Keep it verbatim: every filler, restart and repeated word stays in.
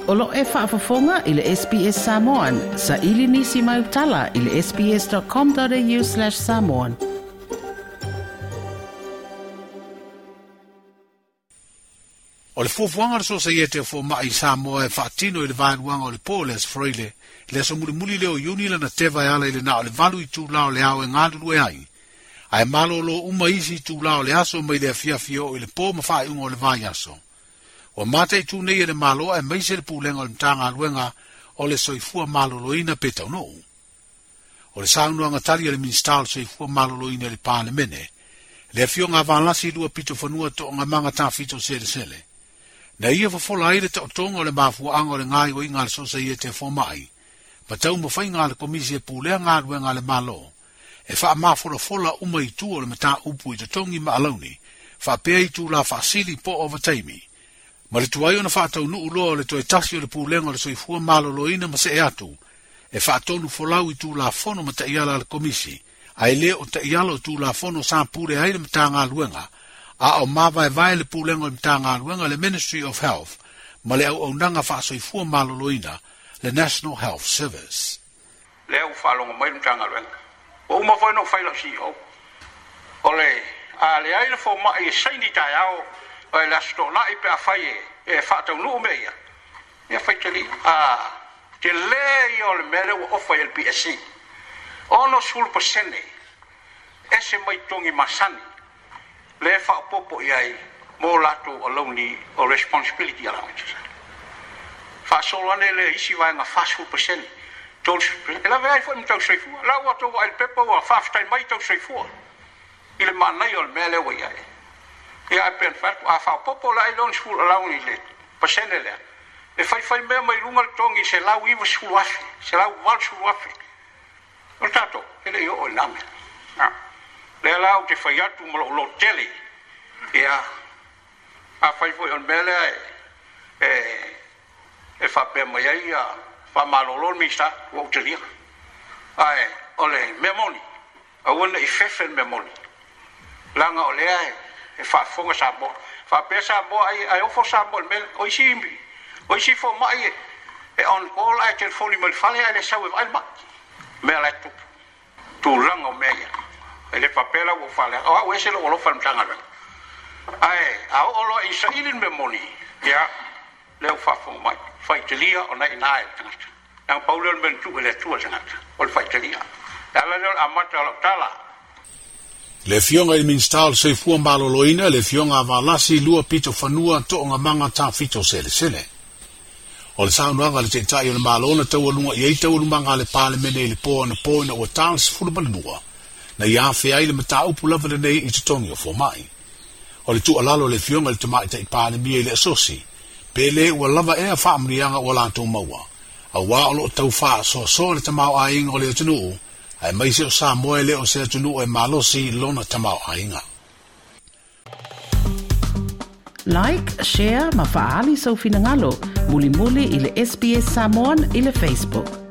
O lo e faafofoga i le S B S Samoan, sa ili nisi mai utala i le sbs.com.au slash samoan. O le fuafuaga le sosaiete o fomai i Samoa e faatino i le vaeluaga o le po le Aso Faraile, le aso mulimuli lea o Iuni lana teva e ala i le na o le valu itulā o le ao e galulue ai. Ae malōlō uma isi itulā o le aso mai le afiafi oo i le po ma faaiuga o le vaiaso. Ua mataitū nei e le Malo aemaise le pulega o le Matagaluega o le Soifua Maloloina pe taunuu. O le saunoaga tali a le Minisita o le Soifua Maloloina i le Palemene, le afioga a Valasi lua pito fanua toogamaga tafito selesele. Na ia fofola ai le taotoga o le mafuaaga o le gaoioiga a le sosaiete a fomai, ma taumafaiga a le Komisi e pulea galuega a le Malo, e faamafolafola uma itu o le mataupu i totogi ma alauni, faapea itulā faasili po o ovataimi. Ma le tuai ona faataunuu loa o le toe tasi o le pulega o le Soifua Maloloina ma see atu, e faatonu folau i tulafono ma taiala a le Komisi, ae le o taiala o tulafono sa pule ai le Matagaluega, a o mavaevae le pulega o le Matagaluega le Ministry of Health ma le auaunaga faasoifua maloloina le National Health Service. Lea ua faalogo mai le Matagaluega. Ua uma foi ona ou fai lau C E O. O le a leai le fomai e saini taeao o le aso toonai pe afai e, e faataunuu mea ia. Ia faitalia. A tele ia o le mea lea ua ofa i le P S C. Ono sefulu pasene ese mai togi masani le faaopoopo i ai mo latou alauni o responsibility allowances. Faasolo ane le isi vaega fasefulu pasene. E lave ai foi ma tausoifua. La ua tou vaai le pepa ua faafetai mai tausoifua i le manaia o le mea lea ua i ai. Ia ae pe ona fai atu, a faaopoopo la ai le onosefulu alauni i le pasene lea, e faifai mea mai luga le togi se lau ivasefulu afe, se lau valusefulu afe. O le tatou, e le i oo i lena mea. Lea la ou te fai atu ma lou lototele. Ia, a fai foi o le mea lea e, e, e faapea mai ai ia faamalolo le Minisita, ua ou talia. Ae o le mea moni, aua ne i fefe le mea moni. Leaga o lea e, e faafofoga Samoa. Faapea Samoa ai, ai ofo Samoa i le mea, o isi, o isi fomai e, e on call ae telefoni mai le fale ae le sau e vaai le mai. Mea la e tupu. Tulaga o mea ia. E le faapea la ua faaleaga. O au ese lou alofa i le Matagaluega. Ae a oo loa i saili le mea moni, ia, lea ua faafofoga mai. Faitalia ona i ina e le tagata. Leaga pau lea o le mea na tuu e le Atua le tagata, o le faitalia. E ala lea o le amata o lau tala. Le afioga i le Minisita o le Soifua Maloloina, le afioga a Valasi lua pito fanua toogamaga tafito selesele. O le saunoaga a le Taitai o le Malo na taualuga i ai taualumaga a le Palemene i le po anapo ina ua ta le sefulu ma le lua, na ia afea ai le mataupu lava lenei i totogi o fomai. O le tuualalo le afioga i le Tamaitai Palemia i le asosi, pe le ua lava ea faamanuiaga ua latou maua, auā o loo tau faasoasoa le tamaoaiga o le atunuu, aemaise o Samoa e le o se atunuu e malosi lona tamaoaiga. Like, share ma faaali sau finagalo, mulimuli i le S B S Samoan i le Facebook.